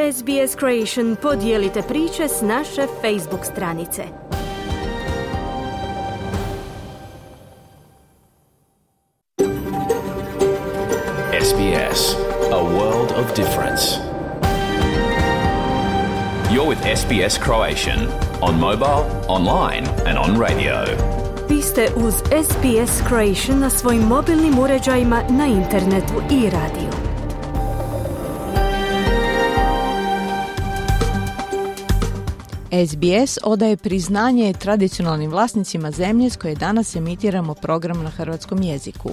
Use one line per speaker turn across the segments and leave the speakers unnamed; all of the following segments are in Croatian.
SBS Creation podijelite priče s naše Facebook stranice.
SBS, a world of difference. You're with SBS Croatian on mobile, online and on radio.
Vi ste uz SBS Croatian na svojim mobilnim uređajima, na internetu i radiju.
SBS odaje priznanje tradicionalnim vlasnicima zemlje s koje danas emitiramo program na hrvatskom jeziku.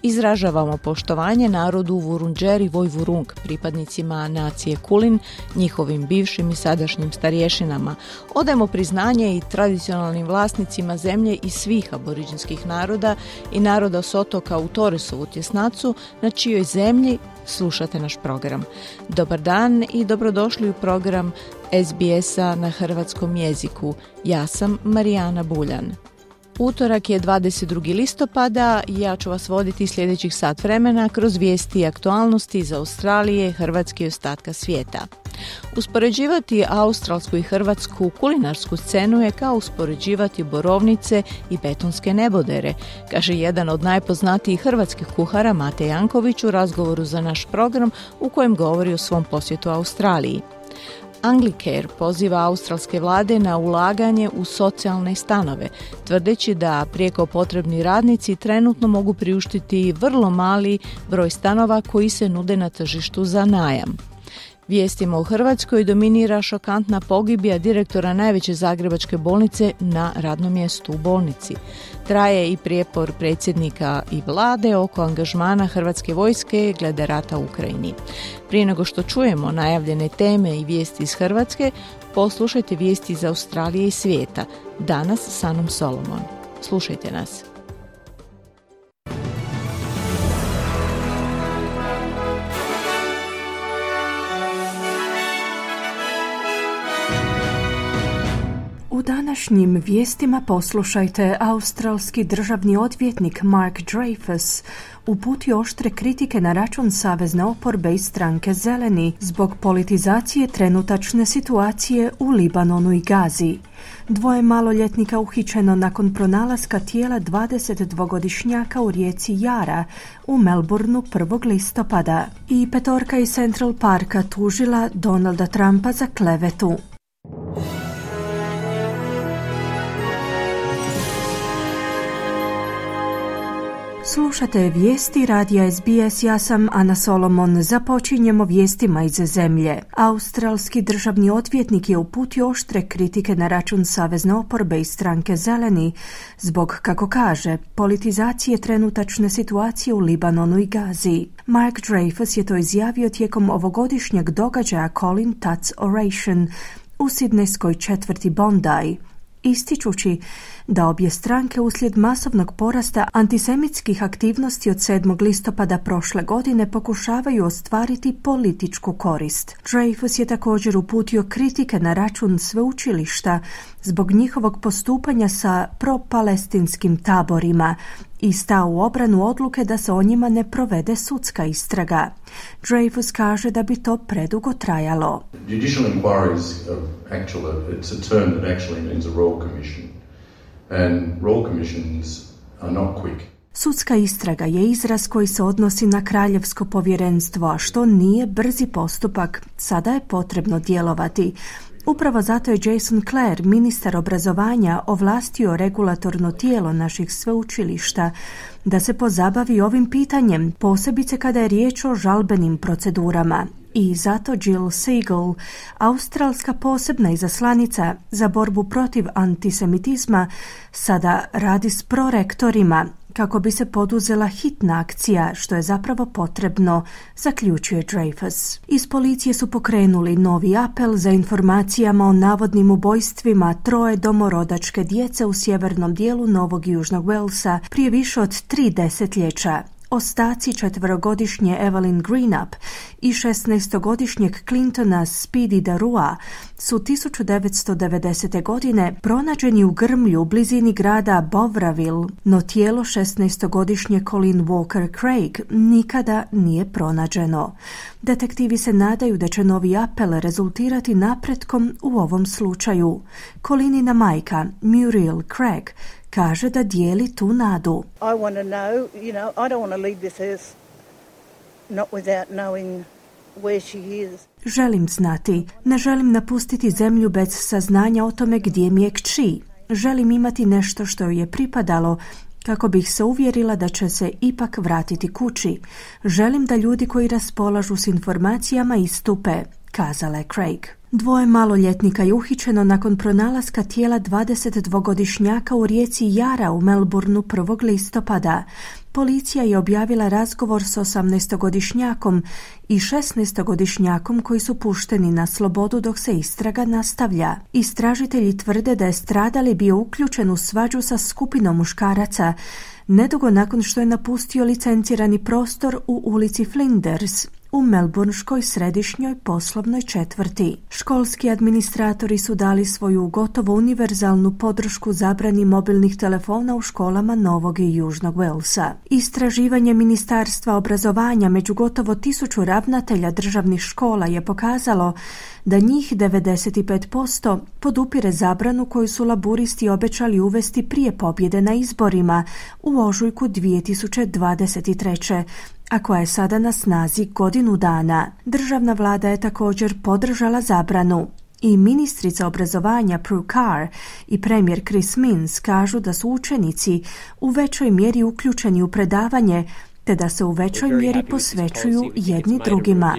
Izražavamo poštovanje narodu Vurundjeri Vojvurung, pripadnicima nacije Kulin, njihovim bivšim i sadašnjim starješinama. Odajemo priznanje i tradicionalnim vlasnicima zemlje i svih aboriđinskih naroda i naroda s otoka u Torresovu tjesnacu, na čijoj zemlji slušate naš program. Dobar dan i dobrodošli u program SBS-a na hrvatskom jeziku. Ja sam Marijana Buljan. Utorak je 22. listopada i ja ću vas voditi sljedećih sat vremena kroz vijesti i aktualnosti iz Australije, Hrvatske i ostatka svijeta. Uspoređivati australsku i hrvatsku kulinarsku scenu je kao uspoređivati borovnice i betonske nebodere, kaže jedan od najpoznatijih hrvatskih kuhara Mate Janković u razgovoru za naš program u kojem govori o svom posjetu Australiji. Anglicare poziva australske vlade na ulaganje u socijalne stanove, tvrdeći da prijeko potrebni radnici trenutno mogu priuštiti vrlo mali broj stanova koji se nude na tržištu za najam. Vijestima u Hrvatskoj dominira šokantna pogibija direktora najveće zagrebačke bolnice na radnom mjestu u bolnici. Traje i prijepor predsjednika i vlade oko angažmana Hrvatske vojske glede rata u Ukrajini. Prije nego što čujemo najavljene teme i vijesti iz Hrvatske, poslušajte vijesti iz Australije i svijeta. Danas s Anom Solomon. Slušajte nas.
U današnjim vijestima poslušajte, australski državni odvjetnik Mark Dreyfus uputio oštre kritike na račun savezne oporbe i stranke Zeleni zbog politizacije trenutačne situacije u Libanonu i Gazi. 2 maloljetnika uhićeno nakon pronalaska tijela 22-godišnjaka u rijeci Jara u Melbourneu 1. listopada. I 5 iz Central Parka tužila Donalda Trumpa za klevetu. Slušate vijesti radija SBS, ja sam Ana Solomon. Započinjemo vijestima iz zemlje. Australski državni odvjetnik je uputio oštre kritike na račun savezne oporbe i stranke Zeleni zbog, kako kaže, politizacije trenutačne situacije u Libanonu i Gazi. Mark Dreyfus je to izjavio tijekom ovogodišnjeg događaja Colin Tuts Oration u sidnejskoj četvrti Bondi, ističući da obje stranke uslijed masovnog porasta antisemitskih aktivnosti od 7. listopada prošle godine pokušavaju ostvariti političku korist. Dreyfus je također uputio kritike na račun sveučilišta zbog njihovog postupanja sa propalestinskim taborima i stao u obranu odluke da se o njima ne provede sudska istraga. Dreyfus kaže da bi to predugo trajalo.
Judicial inquiries are it's a term that actually means a royal commission. And royal commissions are not quick.
Sudska istraga je izraz koji se odnosi na kraljevsko povjerenstvo, a što nije brzi postupak, sada je potrebno djelovati. Upravo zato je Jason Clare, ministar obrazovanja, ovlastio regulatorno tijelo naših sveučilišta da se pozabavi ovim pitanjem, posebice kada je riječ o žalbenim procedurama. I zato Jill Siegel, australska posebna izaslanica za borbu protiv antisemitizma, sada radi s prorektorima kako bi se poduzela hitna akcija, što je zapravo potrebno, zaključuje Dreyfus. Iz policije su pokrenuli novi apel za informacijama o navodnim ubojstvima 3 domorodačke djece u sjevernom dijelu Novog i Južnog Walesa prije više od 3 desetljeća. Ostaci 4-godišnje Evelyn Greenup i 16-godišnjeg Clintona Speedy Darua su 1990. godine pronađeni u grmlju u blizini grada Bovraville, no tijelo 16-godišnje Colleen Walker Craig nikada nije pronađeno. Detektivi se nadaju da će novi apel rezultirati napretkom u ovom slučaju. Colleenina majka, Muriel Craig, kaže da dijeli tu nadu.
I want to know, I don't want to leave this earth not without knowing where she is.
Želim znati, ne želim napustiti zemlju bez saznanja o tome gdje mi je kći. Želim imati nešto što joj je pripadalo, kako bih se uvjerila da će se ipak vratiti kući. Želim da ljudi koji raspolažu s informacijama istupe, kazala je Craig. 2 maloljetnika je uhićeno nakon pronalaska tijela 22-godišnjaka u rijeci Jara u Melbourneu 1. listopada. Policija je objavila razgovor s 18-godišnjakom i 16-godišnjakom koji su pušteni na slobodu dok se istraga nastavlja. Istražitelji tvrde da je stradali bio uključen u svađu sa skupinom muškaraca nedugo nakon što je napustio licencirani prostor u ulici Flinders u melbourneškoj središnjoj poslovnoj četvrti. Školski administratori su dali svoju gotovo univerzalnu podršku zabrani mobilnih telefona u školama Novog i Južnog Walesa. Istraživanje Ministarstva obrazovanja među gotovo 1000 ravnatelja državnih škola je pokazalo da njih 95% podupire zabranu koju su laburisti obećali uvesti prije pobjede na izborima u ožujku 2023. a koja je sada na snazi godinu dana. Državna vlada je također podržala zabranu. I ministrica obrazovanja Prue Carr i premijer Chris Minns kažu da su učenici u većoj mjeri uključeni u predavanje te da se u većoj mjeri posvećuju jedni drugima.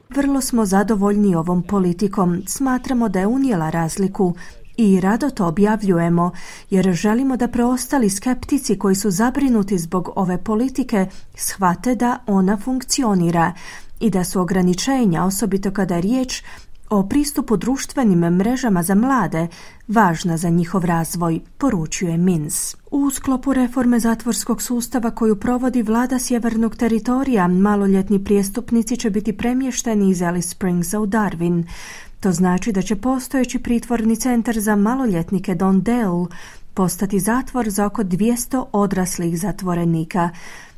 Vrlo smo zadovoljni ovom politikom. Smatramo da je unijela razliku i rado to objavljujemo, jer želimo da preostali skeptici koji su zabrinuti zbog ove politike shvate da ona funkcionira i da su ograničenja, osobito kada je riječ o pristupu društvenim mrežama za mlade, važna za njihov razvoj, poručuje Minns. U sklopu reforme zatvorskog sustava koju provodi vlada Sjevernog teritorija, maloljetni prijestupnici će biti premješteni iz Alice Springsa u Darwin. To znači da će postojeći pritvorni centar za maloljetnike Don Dale postati zatvor za oko 200 odraslih zatvorenika,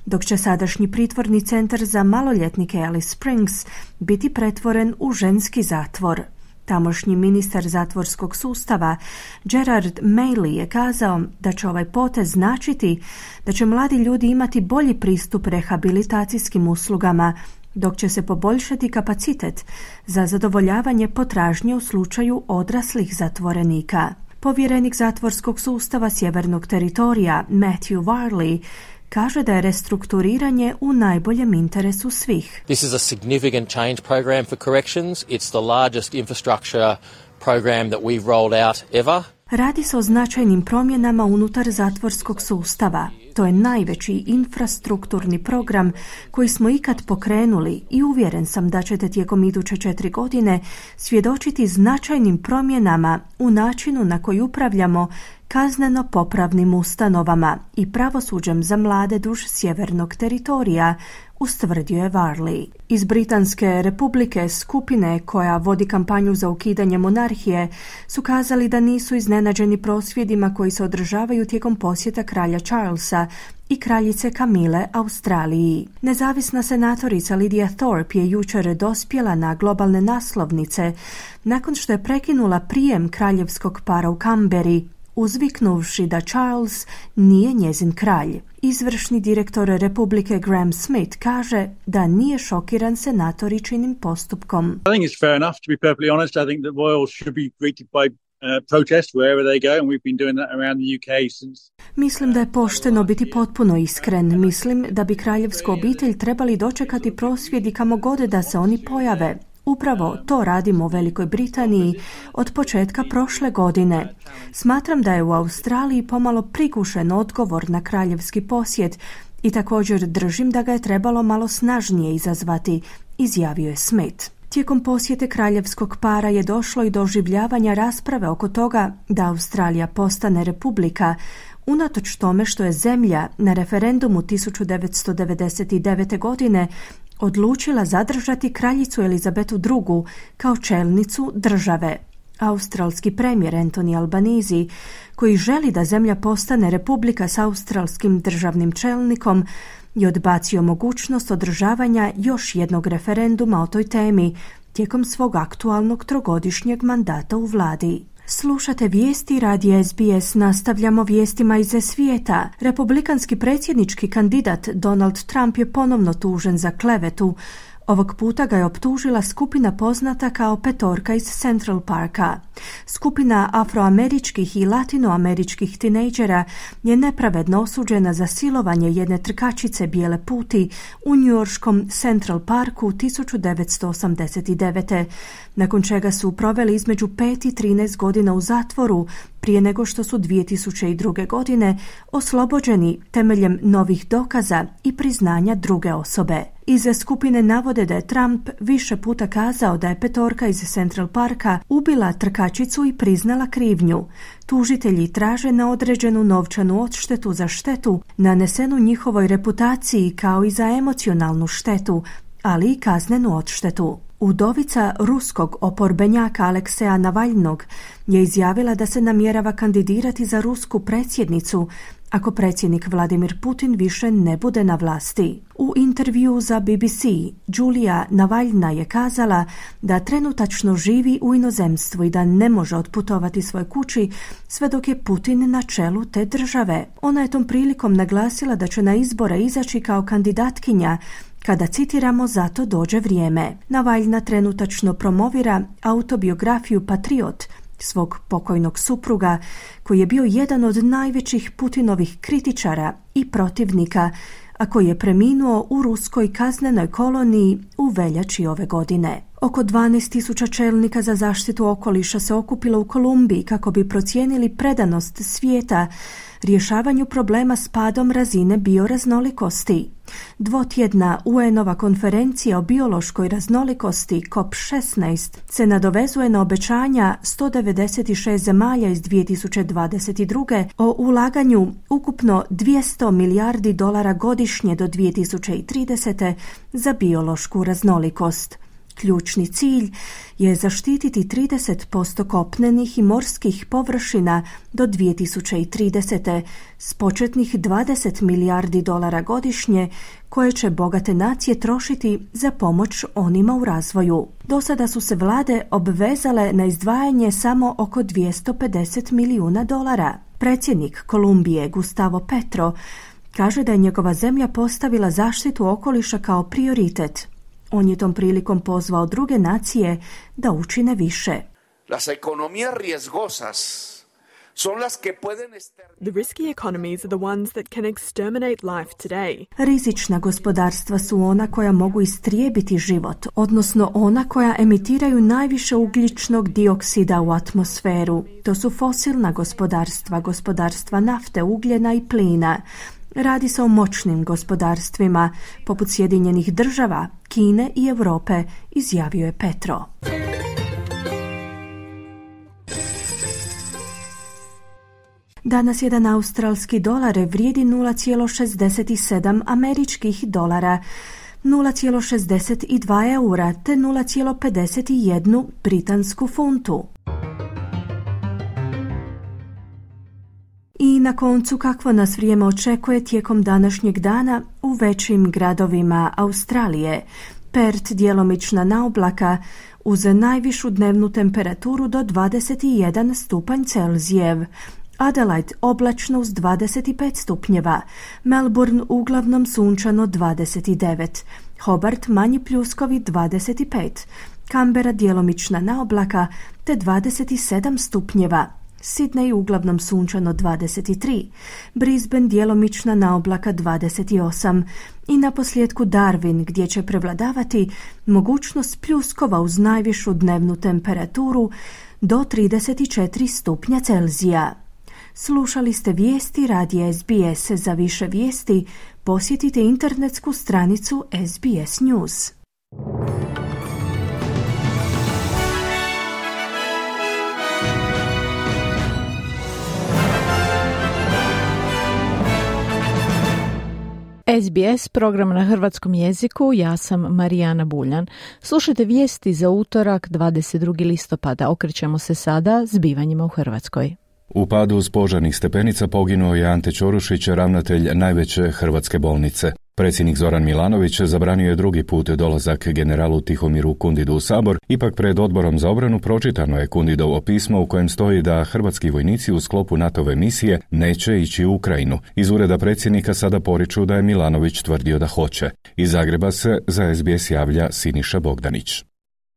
dok će sadašnji pritvorni centar za maloljetnike Alice Springs biti pretvoren u ženski zatvor. Tamošnji ministar zatvorskog sustava Gerard Maley je kazao da će ovaj potez značiti da će mladi ljudi imati bolji pristup rehabilitacijskim uslugama, dok će se poboljšati kapacitet za zadovoljavanje potražnje u slučaju odraslih zatvorenika. Povjerenik zatvorskog sustava Sjevernog teritorija Matthew Varley kaže da je restrukturiranje u najboljem interesu svih.
This is a significant change program for corrections. It's the largest infrastructure program that we've rolled out ever.
Radi se o značajnim promjenama unutar zatvorskog sustava. To je najveći infrastrukturni program koji smo ikad pokrenuli i uvjeren sam da ćete tijekom iduće 4 godine svjedočiti značajnim promjenama u načinu na koji upravljamo kazneno-popravnim ustanovama i pravosuđem za mlade duž Sjevernog teritorija, ustvrdio je Varley. Iz Britanske republike skupine koja vodi kampanju za ukidanje monarhije su kazali da nisu iznenađeni prosvjedima koji se održavaju tijekom posjeta kralja Charlesa i kraljice Kamile Australiji. Nezavisna senatorica Lydia Thorpe je jučer dospjela na globalne naslovnice nakon što je prekinula prijem kraljevskog para u Kamberi, uzviknuvši da Charles nije njezin kralj. Izvršni direktor Republike Graham Smith kaže da nije šokiran senatoričinim postupkom.
I think it's fair enough to be perfectly honest. I think that royals should be greeted by protest wherever they go and we've been doing that around the UK since.
Mislim da je pošteno biti potpuno iskren. Mislim da bi kraljevsku obitelj trebali dočekati prosvjedi kamo god da se oni pojave. Upravo to radimo u Velikoj Britaniji od početka prošle godine. Smatram da je u Australiji pomalo prigušen odgovor na kraljevski posjet i također držim da ga je trebalo malo snažnije izazvati, izjavio je Smith. Tijekom posjete kraljevskog para je došlo i do oživljavanja rasprave oko toga da Australija postane republika, unatoč tome što je zemlja na referendumu 1999. godine odlučila zadržati kraljicu Elizabetu II. Kao čelnicu države. Australski premijer Anthony Albanese, koji želi da zemlja postane republika s australskim državnim čelnikom, je odbacio mogućnost održavanja još jednog referenduma o toj temi tijekom svog aktualnog trogodišnjeg mandata u vladi. Slušate vijesti radija SBS, nastavljamo vijestima iz svijeta. Republikanski predsjednički kandidat Donald Trump je ponovno tužen za klevetu. Ovog puta ga je optužila skupina poznata kao Petorka iz Central Parka. Skupina afroameričkih i latinoameričkih tinejdžera je nepravedno osuđena za silovanje jedne trkačice bijele puti u njujorškom Central Parku 1989. nakon čega su proveli između 5 i 13 godina u zatvoru prije nego što su 2002. godine oslobođeni temeljem novih dokaza i priznanja druge osobe. Iz skupine navode da je Trump više puta kazao da je Petorka iz Central Parka ubila trkačicu i priznala krivnju. Tužitelji traže na određenu novčanu odštetu za štetu nanesenu njihovoj reputaciji kao i za emocionalnu štetu, ali i kaznenu odštetu. Udovica ruskog oporbenjaka Alekseja Navalnog je izjavila da se namjerava kandidirati za rusku predsjednicu ako predsjednik Vladimir Putin više ne bude na vlasti. U intervju za BBC Julia Navalna je kazala da trenutačno živi u inozemstvu i da ne može otputovati svojoj kući sve dok je Putin na čelu te države. Ona je tom prilikom naglasila da će na izbore izaći kao kandidatkinja kada, citiramo, za to dođe vrijeme. Navalna trenutačno promovira autobiografiju Patriot svog pokojnog supruga, koji je bio jedan od najvećih Putinovih kritičara i protivnika, a koji je preminuo u ruskoj kaznenoj koloniji u veljači ove godine. Oko 12.000 čelnika za zaštitu okoliša se okupilo u Kolumbiji kako bi procijenili predanost svijeta rješavanju problema s padom razine bioraznolikosti. Dvotjedna UN-ova konferencija o biološkoj raznolikosti COP16 se nadovezuje na obećanja 196 zemalja iz 2022. o ulaganju ukupno $200 milijardi godišnje do 2030. za biološku raznolikost. Ključni cilj je zaštititi 30% kopnenih i morskih površina do 2030. s početnih $20 milijardi godišnje koje će bogate nacije trošiti za pomoć onima u razvoju. Do sada su se vlade obvezale na izdvajanje samo oko $250 milijuna. Predsjednik Kolumbije Gustavo Petro kaže da je njegova zemlja postavila zaštitu okoliša kao prioritet. On je tom prilikom pozvao druge nacije da učine više.
Las economías riesgosas son las que pueden
The risky economies are the ones that can exterminate life today.
Rizična gospodarstva su ona koja mogu istrijebiti život, odnosno ona koja emitiraju najviše ugljičnog dioksida u atmosferu. To su fosilna gospodarstva, gospodarstva nafte, ugljena i plina. Radi se o moćnim gospodarstvima, poput Sjedinjenih država, Kine i Europe, izjavio je Petro. Danas jedan australski dolar vrijedi 0,67 američkih dolara, 0,62 eura te 0,51 britansku funtu. I na koncu, kakvo nas vrijeme očekuje tijekom današnjeg dana u većim gradovima Australije. Perth djelomična naoblaka uz najvišu dnevnu temperaturu do 21 stupanj Celzijev. Adelaide oblačno uz 25 stupnjeva. Melbourne uglavnom sunčano 29. Hobart manji pljuskovi 25. Canberra djelomična naoblaka te 27 stupnjeva. Sydney uglavnom sunčano 23, Brisbane djelomična naoblaka 28 i naposljetku Darwin gdje će prevladavati mogućnost pljuskova uz najvišu dnevnu temperaturu do 34 stupnja Celzija. Slušali ste vijesti radija SBS. Za više vijesti posjetite internetsku stranicu SBS News.
SBS, program na hrvatskom jeziku, ja sam Marijana Buljan. Slušajte vijesti za utorak 22. listopada. Okrećemo se sada zbivanjima u Hrvatskoj.
U padu s požarnih stepenica poginuo je Ante Ćorušić, ravnatelj najveće hrvatske bolnice. Predsjednik Zoran Milanović zabranio je drugi put dolazak generalu Tihomiru Kundidu u Sabor, ipak pred Odborom za obranu pročitano je Kundidovo pismo u kojem stoji da hrvatski vojnici u sklopu NATO-ve misije neće ići u Ukrajinu. Iz ureda predsjednika sada poriču da je Milanović tvrdio da hoće. Iz Zagreba se za SBS javlja Siniša Bogdanić.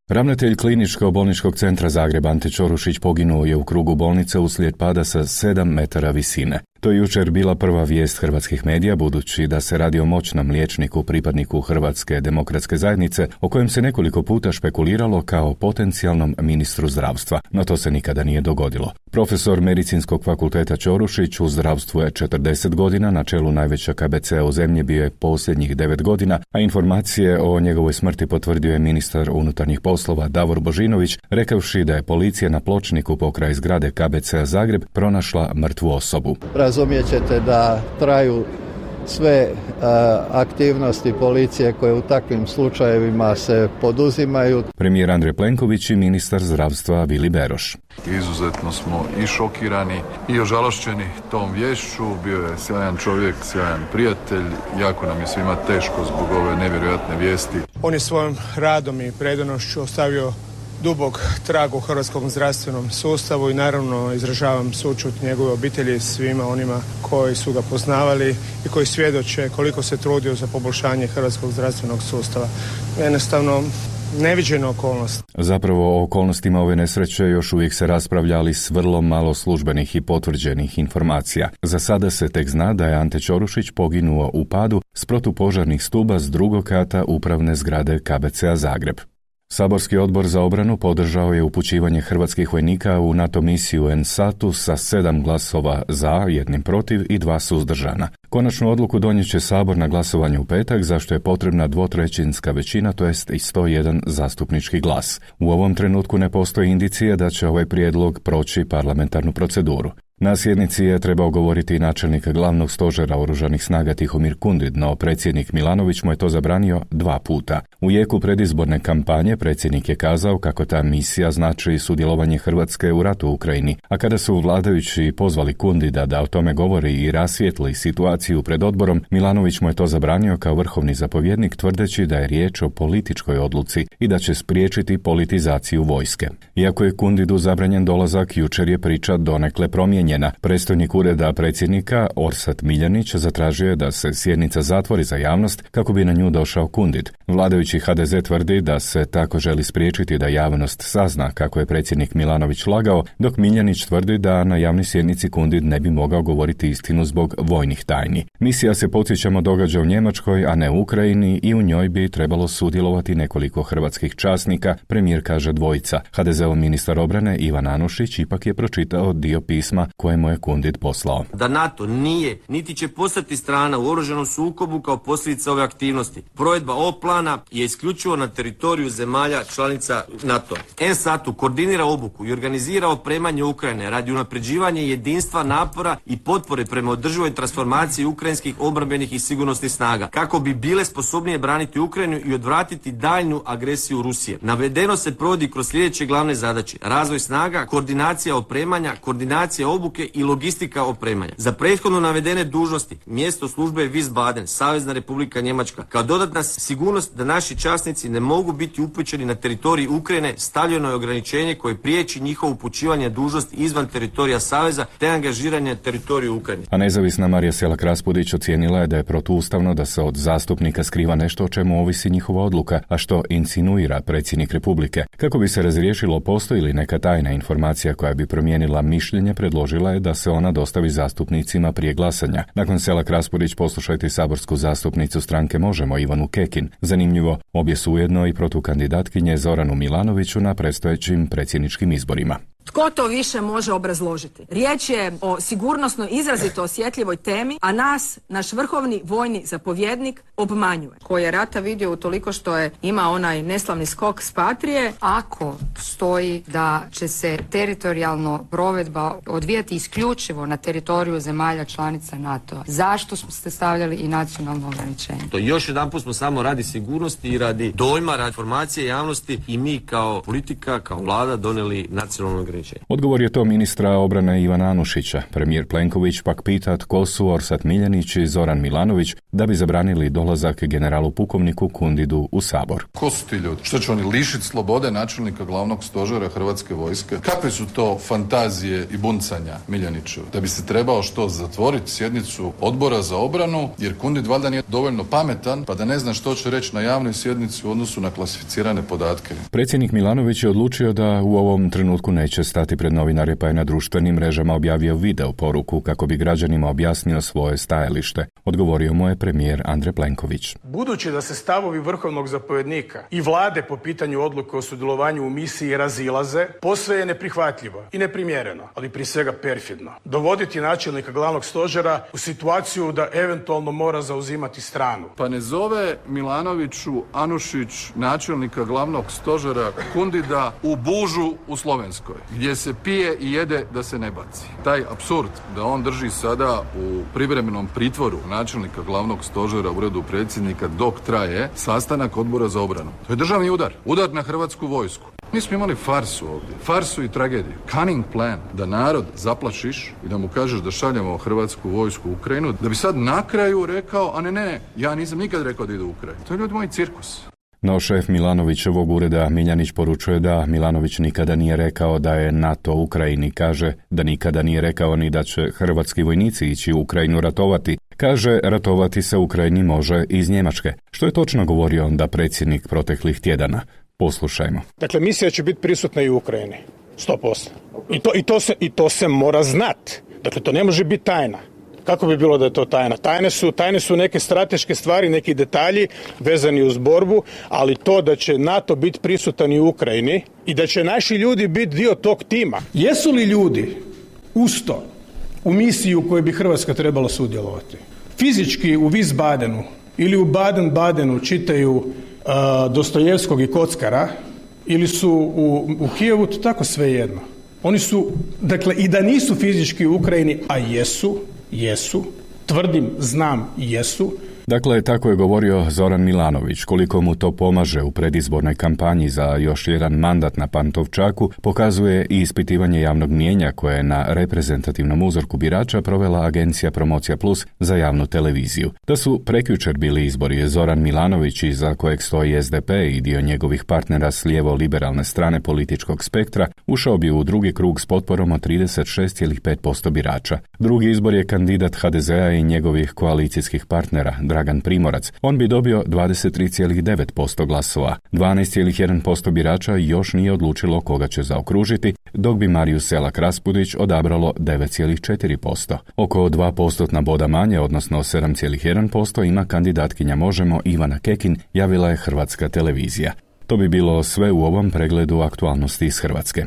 Ravnatelj Kliničkog bolničkog centra Zagreb Ante Ćorušić poginuo je u krugu bolnice uslijed pada sa 7 metara visine. To je jučer bila prva vijest hrvatskih medija, budući da se radi o moćnom liječniku, pripadniku Hrvatske demokratske zajednice, o kojem se nekoliko puta špekuliralo kao potencijalnom ministru zdravstva, no to se nikada nije dogodilo. Profesor Medicinskog fakulteta Ćorušić u zdravstvu je 40 godina, na čelu najveća KBC-a u zemlji bio je posljednjih 9 godina, a informacije o njegovoj smrti potvrdio je ministar unutarnjih poslova Davor Božinović, rekavši da je policija na pločniku pokraj zgrade KBC-a Zagreb pronašla mrtvu osobu.
Razumijet ćete da traju sve aktivnosti policije koje u takvim slučajevima se poduzimaju.
Premijer Andrej Plenković i ministar zdravstva Vili Beroš.
Izuzetno smo i šokirani i ožalošćeni tom viješću. Bio je sjajan čovjek, sjajan prijatelj. Jako nam je svima teško zbog ove nevjerojatne vijesti.
On je svojim radom i predanošću ostavio dubok trag u hrvatskom zdravstvenom sustavu i naravno izražavam sućut njegove obitelji, svima onima koji su ga poznavali i koji svjedoče koliko se trudio za poboljšanje hrvatskog zdravstvenog sustava. Jednostavno neviđena okolnost.
Zapravo o okolnostima ove nesreće još uvijek se raspravlja, ali s vrlo malo službenih i potvrđenih informacija. Za sada se tek zna da je Ante Ćorušić poginuo u padu s protupožarnih stuba s drugog kata upravne zgrade KBC-a Zagreb. Saborski odbor za obranu podržao je upućivanje hrvatskih vojnika u NATO misiju NSATU sa 7 glasova za, 1 protiv i 2 suzdržana. Konačnu odluku donijet će Sabor na glasovanju u petak, zašto je potrebna 2/3 većina, to jest i 101 zastupnički glas. U ovom trenutku ne postoji indicije da će ovaj prijedlog proći parlamentarnu proceduru. Na sjednici je trebao govoriti i načelnik glavnog stožera oružanih snaga Tihomir Kundid, no predsjednik Milanović mu je to zabranio 2 puta. U jeku predizborne kampanje predsjednik je kazao kako ta misija znači sudjelovanje Hrvatske u ratu u Ukrajini, a kada su vladajući pozvali Kundida da o tome govori i rasvijetli situaciju pred odborom, Milanović mu je to zabranio kao vrhovni zapovjednik, tvrdeći da je riječ o političkoj odluci i da će spriječiti politizaciju vojske. Iako je Kundidu zabranjen dolazak, jučer je priča donekle promijenjena. Predstojnik ureda predsjednika Orsat Miljanić zatražio je da se sjednica zatvori za javnost kako bi na nju došao Kundid. Vladajući HDZ tvrdi da se tako želi spriječiti da javnost sazna kako je predsjednik Milanović lagao, dok Miljanić tvrdi da na javnoj sjednici Kundid ne bi mogao govoriti istinu zbog vojnih tajni. Misija se, podsjećamo, događa u Njemačkoj, a ne u Ukrajini, i u njoj bi trebalo sudjelovati nekoliko hrvatskih časnika, premijer kaže dvojica. HDZ-ov ministar obrane Ivan Anušić ipak je pročitao dio pisma kojemu je Kundid poslao.
Da NATO nije, niti će postati strana u oružanom sukobu kao posljedica ove aktivnosti. Provedba ovog plana je isključivo na teritoriju zemalja članica NATO. NSATU koordinira obuku i organizira opremanje Ukrajine radi unapređivanja jedinstva, napora i potpore prema održivoj transformaciji ukrajinskih obrambenih i sigurnosnih snaga, kako bi bile sposobnije braniti Ukrajinu i odvratiti daljnju agresiju Rusije. Navedeno se provodi kroz sljedeće glavne zadaće: razvoj snaga, koordinacija opremanja, koordinacija obuke i logistika opremanja. Za prethodno navedene dužnosti mjesto službe je Wiesbaden, Savezna Republika Njemačka. Kao dodatna sigurnost da naši časnici ne mogu biti upućeni na teritorij Ukrajine, stavljeno je ograničenje koje priječi njihovo upućivanje dužnosti izvan teritorija Saveza te angažiranje na teritoriju Ukrajine.
A nezavisna Marija Selak-Raspudić ocijenila je da je protuustavno da se od zastupnika skriva nešto o čemu ovisi njihova odluka, a što insinuira predsjednik Republike. Kako bi se razriješilo postoji li neka tajna informacija koja bi promijenila mišljenje, predložila je da se ona dostavi zastupnicima prije glasanja. Nakon Selak-Raspudić poslušajte saborsku zastupnicu stranke Možemo Ivanu Kekin. Zanimljivo, obje su ujedno i protukandidatkinje Zoranu Milanoviću na predstojećim predsjedničkim izborima.
Tko to više može obrazložiti? Riječ je o sigurnosno izrazito osjetljivoj temi, a nas, naš vrhovni vojni zapovjednik, obmanjuje. Koji je rata vidio utoliko što je ima onaj neslavni skok s Patrije.
Ako stoji da će se teritorijalno provedba odvijati isključivo na teritoriju zemalja članica NATO-a, zašto ste stavljali i nacionalno ograničenje?
To još jedanput smo samo radi sigurnosti i radi dojma, radi informacije javnosti i mi kao politika, kao vlada donijeli nacionalno ograničenje.
Odgovor je to ministra obrane Ivana Anušića. Premijer Plenković pak pita tko su Orsat Miljenić i Zoran Milanović da bi zabranili dolazak generalu pukovniku Kundidu u Sabor.
Ko su ti ljudi? Što će oni lišiti slobode načelnika glavnog stožera Hrvatske vojske? Kakve su to fantazije i buncanja Miljenićeva? Da bi se trebao što zatvoriti sjednicu odbora za obranu, jer Kundid valjda nije dovoljno pametan pa da ne zna što će reći na javnoj sjednici u odnosu na klasificirane podatke.
Predsjednik Milanović je odlučio da u ovom trenutku neće stati pred novinare, pa je na društvenim mrežama objavio video poruku kako bi građanima objasnio svoje stajalište. Odgovorio mu je premijer Andrej Plenković.
Budući da se stavovi vrhovnog zapovjednika i vlade po pitanju odluke o sudjelovanju u misiji razilaze, posve je neprihvatljivo i neprimjereno, ali prije svega perfidno, dovoditi načelnika glavnog stožera u situaciju da eventualno mora zauzimati stranu.
Pa ne zove Milanoviću Anušić načelnika glavnog stožera Kundida u Bužu u Slovenskoj, gdje se pije i jede da se ne baci. Taj apsurd da on drži sada u privremenom pritvoru načelnika glavnog stožera u uredu predsjednika dok traje sastanak odbora za obranu. To je državni udar. Udar na Hrvatsku vojsku. Mi smo imali farsu ovdje. Farsu i tragediju. Cunning plan. Da narod zaplašiš i da mu kažeš da šaljemo Hrvatsku vojsku u Ukrajinu, da bi sad na kraju rekao, a ne, ja nisam nikad rekao da ide u Ukrajinu. To je ljudi moj cirkus.
No šef Milanovićevog ureda Miljanić poručuje da Milanović nikada nije rekao da je NATO u Ukrajini. Kaže da nikada nije rekao ni da će hrvatski vojnici ići u Ukrajinu ratovati. Kaže, ratovati se u Ukrajini može iz Njemačke. Što je točno govorio onda predsjednik proteklih tjedana. Poslušajmo.
Dakle, misija će biti prisutna i u Ukrajini. 100%. I to se mora znati. Dakle, to ne može biti tajna. Kako bi bilo da je to tajna? Tajne su neke strateške stvari, neki detalji vezani uz borbu, ali to da će NATO biti prisutan i u Ukrajini i da će naši ljudi biti dio tog tima. Jesu li ljudi uz to u misiji u kojoj bi Hrvatska trebala sudjelovati? Fizički u Wiesbadenu ili u Baden-Badenu čitaju Dostojevskog i Kockara ili su u Kijevu, to tako svejedno. Oni su, dakle, i da nisu fizički u Ukrajini, a jesu, tvrdim, znam, jesu.
Dakle, tako je govorio Zoran Milanović. Koliko mu to pomaže u predizbornoj kampanji za još jedan mandat na Pantovčaku, pokazuje i ispitivanje javnog mnijenja koje je na reprezentativnom uzorku birača provela agencija Promocija Plus za javnu televiziju. Da su prekjučer bili izbori, Zoran Milanović, iza kojeg stoji SDP i dio njegovih partnera s lijevo-liberalne strane političkog spektra, ušao bi u drugi krug s potporom od 36,5% birača. Drugi izbor je kandidat HDZ-a i njegovih koalicijskih partnera, Dragan Primorac. On bi dobio 23,9% glasova. 12,1% birača još nije odlučilo koga će zaokružiti, dok bi Mariju Selak Raspudić odabralo 9,4%. Oko 2% boda manje, odnosno 7,1%, ima kandidatkinja Možemo Ivana Kekin, javila je Hrvatska televizija. To bi bilo sve u ovom pregledu aktualnosti iz Hrvatske.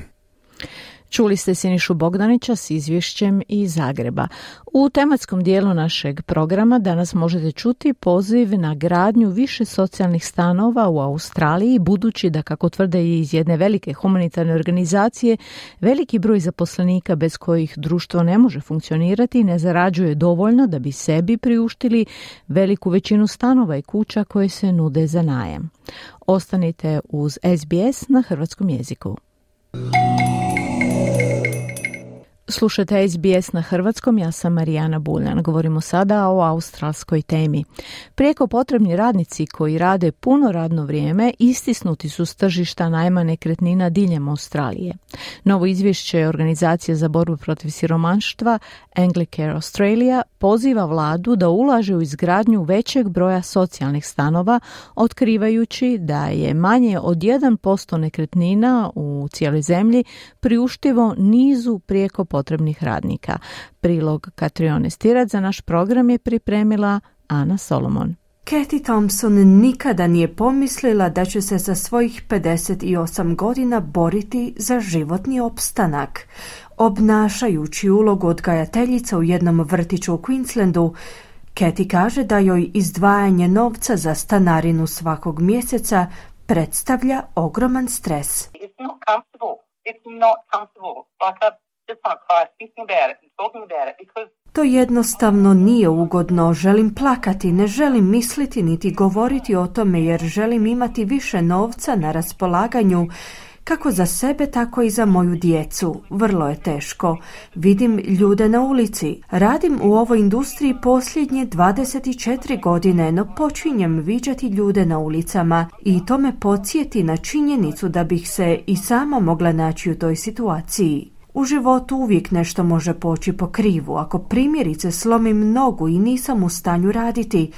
Čuli ste Sinišu Bogdanića s izvješćem iz Zagreba. U tematskom dijelu našeg programa danas možete čuti poziv na gradnju više socijalnih stanova u Australiji, budući da, kako tvrde iz jedne velike humanitarne organizacije, veliki broj zaposlenika bez kojih društvo ne može funkcionirati ne zarađuje dovoljno da bi sebi priuštili veliku većinu stanova i kuća koje se nude za najam. Ostanite uz SBS na hrvatskom jeziku. Slušajte SBS na hrvatskom, ja sam Marijana Buljan. Govorimo sada o australskoj temi. Prijeko potrebni radnici koji rade puno radno vrijeme istisnuti su s tržišta najma nekretnina diljem Australije. Novo izvješće Organizacije za borbu protiv siromaštva Anglicare Australia poziva vladu da ulaže u izgradnju većeg broja socijalnih stanova, otkrivajući da je manje od 1% nekretnina u cijeloj zemlji priuštivo nizu prijeko potrebnih radnika. Prilog Katrione Stirac za naš program je pripremila Ana Solomon.
Kathy Thompson nikada nije pomislila da će se sa svojih 58 godina boriti za životni opstanak. Obnašajući ulogu odgajateljica u jednom vrtiću u Queenslandu, Kathy kaže da joj izdvajanje novca za stanarinu svakog mjeseca predstavlja ogroman stres. To jednostavno nije ugodno, želim plakati, ne želim misliti niti govoriti o tome jer želim imati više novca na raspolaganju kako za sebe, tako i za moju djecu. Vrlo je teško. Vidim ljude na ulici. Radim u ovoj industriji posljednje 24 godine, no počinjem viđati ljude na ulicama i to me podsjeti na činjenicu da bih se i sama mogla naći u toj situaciji. U životu uvijek nešto može poći po krivu. Ako primjerice slomim nogu i nisam u stanju raditi,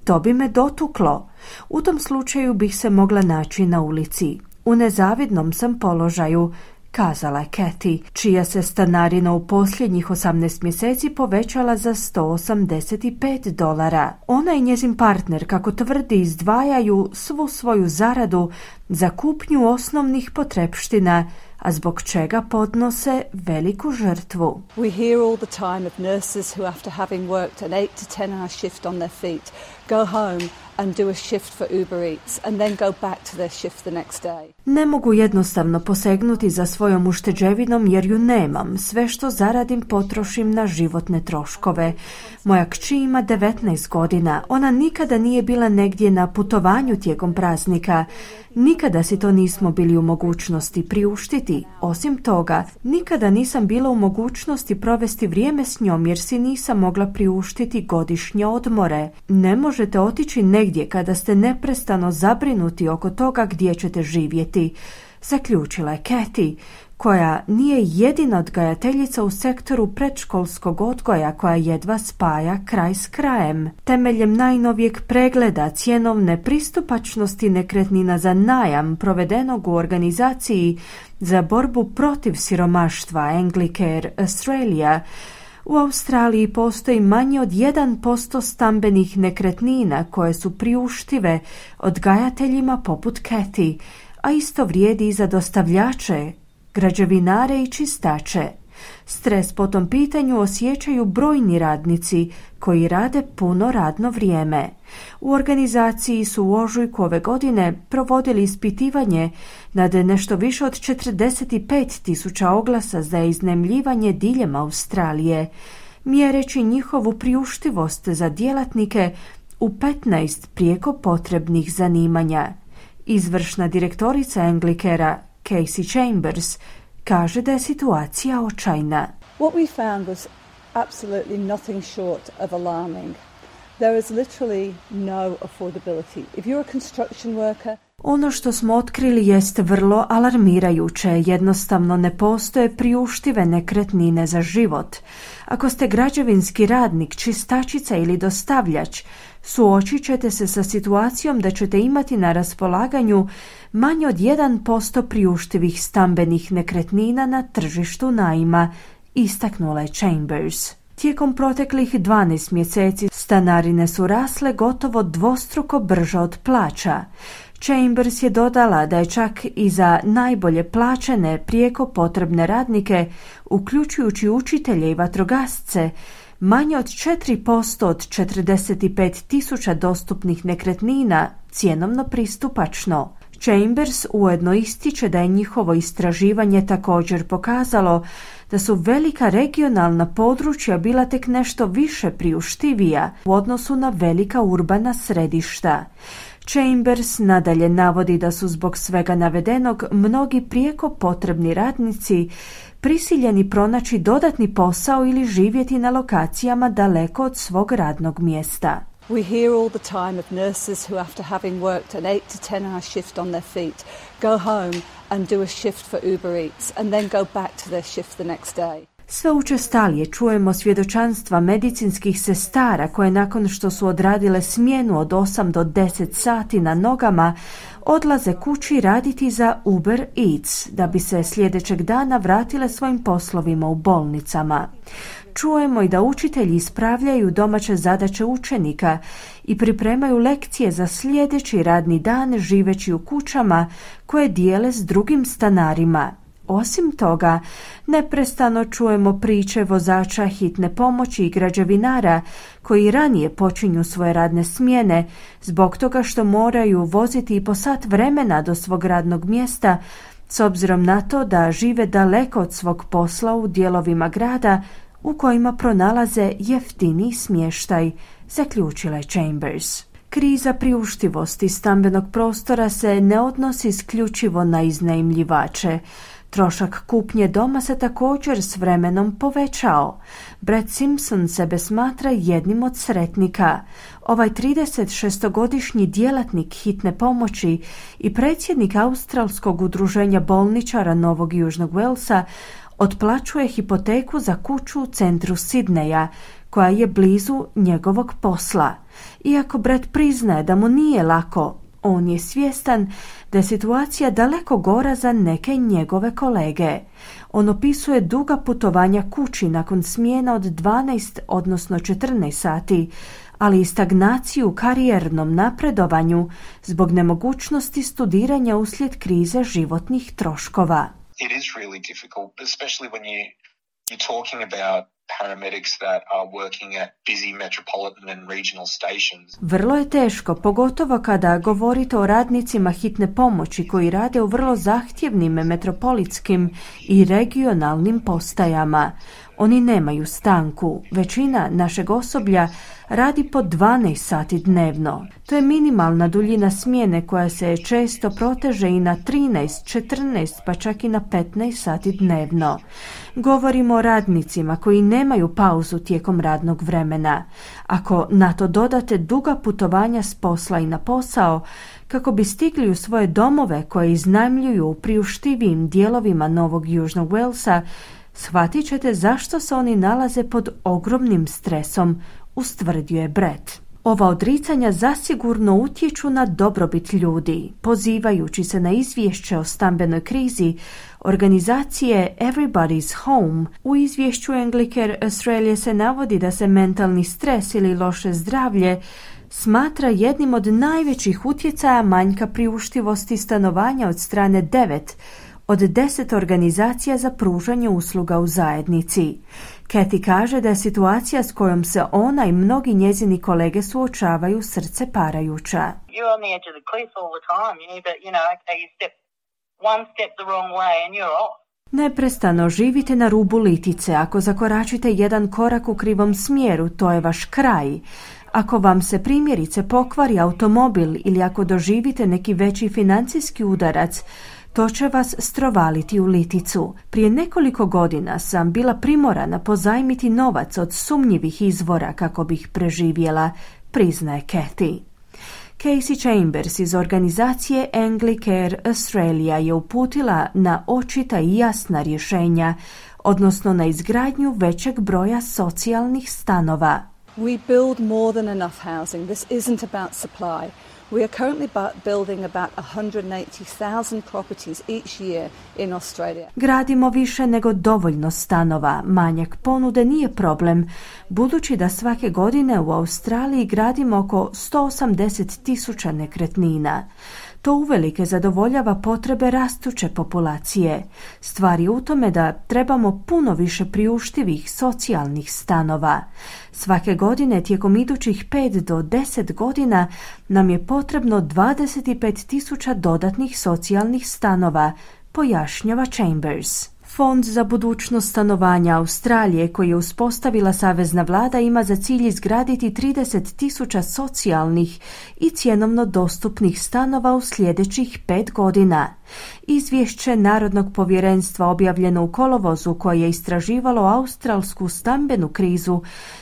to bi me dotuklo. U tom slučaju bih se mogla naći na ulici. U nezavidnom sam položaju, kazala je Kathy, čija se stanarina u posljednjih 18 mjeseci povećala za $185. Ona i njezin partner, kako tvrdi, izdvajaju svu svoju zaradu za kupnju osnovnih potrepština, a zbog čega podnose veliku žrtvu.
We hear all the time of nurses who after having worked an 8 to 10 hour shift on their feet go home and do a shift for Uber Eats and then go back to their shift the next day.
Ne mogu jednostavno posegnuti za svojom ušteđevinom jer ju nemam. Sve što zaradim potrošim na životne troškove. Moja kći ima 19 godina. Ona nikada nije bila negdje na putovanju tijekom praznika. Nikada si to nismo bili u mogućnosti priuštiti. Osim toga, nikada nisam bila u mogućnosti provesti vrijeme s njom jer si nisam mogla priuštiti godišnje odmore. Ne možete otići negdje kada ste neprestano zabrinuti oko toga gdje ćete živjeti, zaključila je Kathy, koja nije jedina odgajateljica u sektoru predškolskog odgoja koja jedva spaja kraj s krajem. Temeljem najnovijeg pregleda cjenovne pristupačnosti nekretnina za najam provedenog u organizaciji za borbu protiv siromaštva Anglicare Australia, u Australiji postoji manje od 1% stambenih nekretnina koje su priuštive odgajateljima poput Kathy, a isto vrijedi i za dostavljače, građevinare i čistače. Stres po tom pitanju osjećaju brojni radnici koji rade puno radno vrijeme. U organizaciji su u ožujku ove godine provodili ispitivanje nad nešto više od 45.000 oglasa za iznajmljivanje diljem Australije, mjereći njihovu priuštivost za djelatnike u 15 prijeko potrebnih zanimanja. Izvršna direktorica Anglicarea Casey Chambers kaže da je situacija očajna.
What we found was absolutely nothing short of alarming. There is literally no affordability. If you're a construction worker,
ono što smo otkrili jest vrlo alarmirajuće. Jednostavno ne postoje priuštive nekretnine za život. Ako ste građevinski radnik, čistačica ili dostavljač, suočit ćete se sa situacijom da ćete imati na raspolaganju manje od 1% priuštivih stambenih nekretnina na tržištu najma, istaknula je Chambers. Tijekom proteklih 12 mjeseci stanarine su rasle gotovo dvostruko brže od plaća. Chambers je dodala da je čak i za najbolje plaćene prijeko potrebne radnike, uključujući učitelje i vatrogasce, manje od 4% od 45.000 dostupnih nekretnina cjenovno pristupačno. Chambers ujedno ističe da je njihovo istraživanje također pokazalo da su velika regionalna područja bila tek nešto više priuštivija u odnosu na velika urbana središta. Chambers nadalje navodi da su zbog svega navedenog mnogi prijeko potrebni radnici prisiljeni pronaći dodatni posao ili živjeti na lokacijama daleko od svog radnog mjesta.
we hear all the time of nurses who after having worked an 8 to 10 hour shift on their feet go home and do a shift for Uber Eats and then go back to their shift the next day.
Sve učestalije čujemo svjedočanstva medicinskih sestara koje nakon što su odradile smjenu od 8 do 10 sati na nogama odlaze kući raditi za Uber Eats da bi se sljedećeg dana vratile svojim poslovima u bolnicama. Čujemo i da učitelji ispravljaju domaće zadaće učenika i pripremaju lekcije za sljedeći radni dan živeći u kućama koje dijele s drugim stanarima. Osim toga, neprestano čujemo priče vozača hitne pomoći i građevinara koji ranije počinju svoje radne smjene zbog toga što moraju voziti i po sat vremena do svog radnog mjesta s obzirom na to da žive daleko od svog posla u dijelovima grada u kojima pronalaze jeftiniji smještaj, zaključila je Chambers. Kriza priuštivosti stambenog prostora se ne odnosi isključivo na iznajmljivače. Trošak kupnje doma se također s vremenom povećao. Brad Simpson sebe smatra jednim od sretnika. Ovaj 36-godišnji djelatnik hitne pomoći i predsjednik Australskog udruženja bolničara Novog Južnog Walesa otplaćuje hipoteku za kuću u centru Sidneja, koja je blizu njegovog posla. Iako Brad priznaje da mu nije lako, on je svjestan da je situacija daleko gora za neke njegove kolege. On opisuje duga putovanja kući nakon smjena od 12, odnosno 14 sati, ali i stagnaciju u karijernom napredovanju zbog nemogućnosti studiranja uslijed krize životnih troškova.
It is really difficult, especially when you're talking about paramedics that are working at busy metropolitan and regional stations.
Vrlo je teško, pogotovo kada govorite o radnicima hitne pomoći koji rade u vrlo zahtjevnim metropolitskim i regionalnim postajama. Oni nemaju stanku. Većina našeg osoblja radi po 12 sati dnevno. To je minimalna duljina smjene koja se često proteže i na 13, 14 pa čak i na 15 sati dnevno. Govorimo o radnicima koji nemaju pauzu tijekom radnog vremena. Ako na to dodate duga putovanja s posla i na posao, kako bi stigli u svoje domove koje iznajmljuju u priuštivijim dijelovima Novog Južnog Walesa, shvatit ćete zašto se oni nalaze pod ogromnim stresom, ustvrdio je Brett. Ova odricanja zasigurno utječu na dobrobit ljudi. Pozivajući se na izvješće o stambenoj krizi organizacije Everybody's Home, u izvješću Anglicare Australia se navodi da se mentalni stres ili loše zdravlje smatra jednim od najvećih utjecaja manjka priuštivosti stanovanja od strane 9 od 10 organizacija za pružanje usluga u zajednici. Kathy kaže da je situacija s kojom se ona i mnogi njezini kolege suočavaju srce parajuća.
You're on the edge of the cliff all the time. You need to, okay, you step one step the wrong way and you're off.
Neprestano živite na rubu litice. Ako zakoračite jedan korak u krivom smjeru, to je vaš kraj. Ako vam se primjerice pokvari automobil ili ako doživite neki veći financijski udarac, to će vas strovaliti u liticu. Prije nekoliko godina sam bila primorana pozajmiti novac od sumnjivih izvora kako bih preživjela, priznaje Kathy. Casey Chambers iz organizacije Anglicare Australia je uputila na očita i jasna rješenja, odnosno na izgradnju većeg broja socijalnih stanova.
We build more than enough housing. This isn't about supply. We are currently building about 180,000 properties each year in Australia.
Gradimo više nego dovoljno stanova. Manjak ponude nije problem, budući da svake godine u Australiji gradimo oko 180,000 nekretnina. To uvelike zadovoljava potrebe rastuće populacije. Stvar je u tome da trebamo puno više priuštivih socijalnih stanova. Svake godine tijekom idućih 5 do 10 godina nam je potrebno 25,000 dodatnih socijalnih stanova, pojašnjava Chambers. Fond za budućnost stanovanja Australije, koji je uspostavila savezna vlada, ima za cilj izgraditi 30,000 socijalnih i cjenovno dostupnih stanova u sljedećih 5 godina. Izvješće Narodnog povjerenstva objavljeno u kolovozu, koje je istraživalo australsku stambenu krizu,